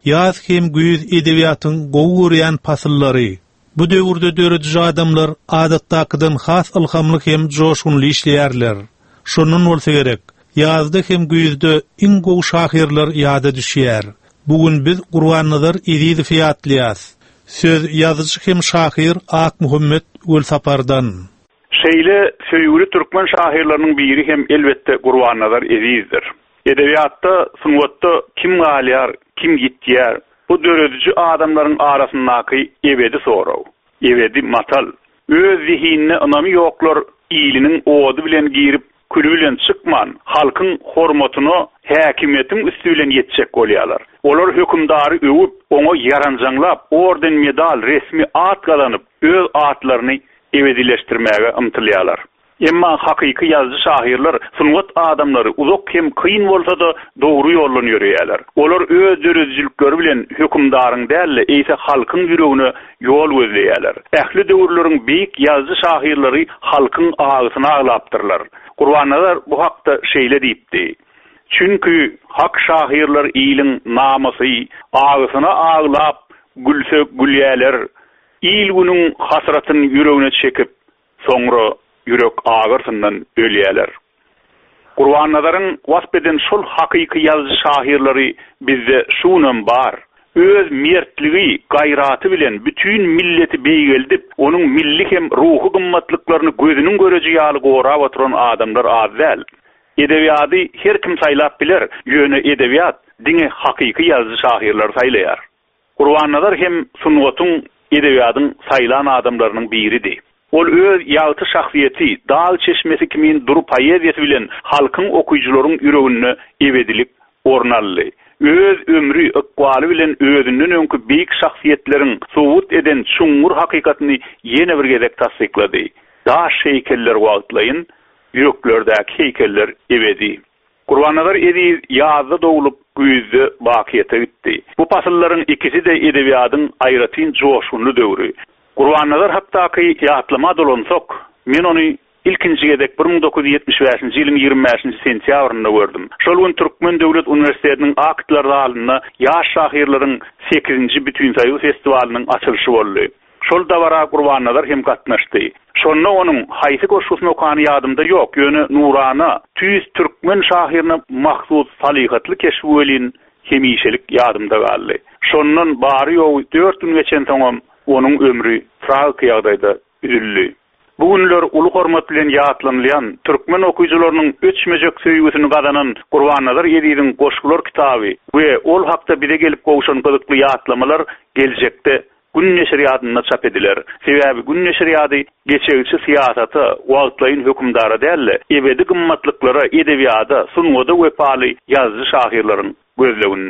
Ýaz hem güýz edebiýatyň gowy görýän pasyllary. Bu döwürde dörediji adamlar adatdakydan has ylhamly hem joşgunly işleýärler. Şondan bolsa gerek, ýazda hem güýzde iň gowy şahyrlar ýada düşýär. Bu gün biz Gurbannazar Ezizowy ýatlaýas. Söz ýazyjy hem şahyr Akmuhammet Welsapardan. Şeýle söýgüli türkmen şahyrlarynyň biri hem elbetde Gurbannazar Ezizdir. Edebiýatda, sungatda kim galýar, kim ýitýär, bu dörediji adamlaryň arasyndaky ebedi sorag, ebedi matal. Öz zehinine ynamy ýoklar iliniň ody bilen girip, küli bilen çykman, halkyň hormatyna häkimiýetiň üsti bilen ýetjek bolýarlar. Olar hökümdary öwüp, oňa ýaranjaňlap, orden-medal, resmi at gazanyp, öz atlaryny ebedileşdirmäge ymtylýarlar. Emma hakyky ýazyjy-şahyrlar, sungat adamlary uzak hem kyn bolsa-da dogry ýoldan ýöreýärler. Olar öz döredijilikleri bilen hökümdaryň däl-de, eýse halkyň ýüregine ýol gözleýärler. Ähli döwürleriň beýik ýazyjy-şahyrlary halkyň agysyna aglapdyrlar. Gurbannazar bu hakda şeýle diýipdi, Çünki hak şahyrlar iliň namysy, agysyna aglap, gülse gülýärler. Il-günüň hasratyn ýüregine çekip, Soňra ýürek agyrsyndan ölýäler. Gurbannazaryň wasp eden şol hakyky ýazyjy-şahyrlary bizde şu günem bar. Öz mertligi, gaýraty bilen bütin milleti beýgeldip, onuň milli hem ruhy gymmatlyklaryny gözüniň göreji ýaly gorap oturan adamlar az däl. Edebiýady her kim saýlap biler, ýöne edebiýat diňe hakyky ýazyjy-şahyrlary saýlaýar. Gurbannazar hem sungatyň, edebiýadyň saýlan adamlarynyň biridi. Ol öz ýagty şahsyýeti, dag çeşmesi kimin dury poeziýasy bilen halkyň, okyjylaryň ýüreginde ebedilik orun aldy. Öz ömri, ykbaly bilen özünden öňki beýik şahsyýetleriň subut eden çuňňur hakykatyny ýene bir gezek tassyklady, Daş heýkeller wagtlaýyn, ýüreklerdäki heýkeller ebedi. Gurbannazar Eziz ýazda doglup, güýzde bakyýete gitdi. Bu pasyllaryň ikisi-de edebiýadyň aýratyn joşgunly döwri. Gurbannazar hakdaky ýatlama dolansak, men ony ilkinji gezek 1975-nji ýylyň 25-nji sentýabrynda gördüm. Şol gün Türkmen döwlet uniwersitetiniň aktlar zalynda ýaş şahyrlaryň sekizinji Bütinsoýuz festiwalynyň açylyşy boldy. Şol dabara Gurbannazar hem gatnaşdy. Şonda onuň haýsy goşgusyny okany ýadymda ýok, ýöne nurana, tüýs türkmen şahyryna mahsus salyhatly keşbi welin hemişelik ýadymda galdy. Şondan bary-ýogy dört gün geçensoňam onuň ömri tragiki ýagdaýda üzüldi. Bu günler uly hormat bilen ýatlanylýan, türkmen okyjylarynyň öçmejek söýgüsini gazanan Gurbannazar Eziziň goşgular kitaby we ol hakda bize gelip gowşan gyzykly ýatlamalar geljekde Gün neşirýadynda çap ediler. Sebäbi Gün neşirýady geçegçi syýasata, wagtlaýyn hökümdara däl-de, ebedi gymmatlyklara, edebiýada, sungata wepaly ýazyjy-şahyrlaryň gözleginde.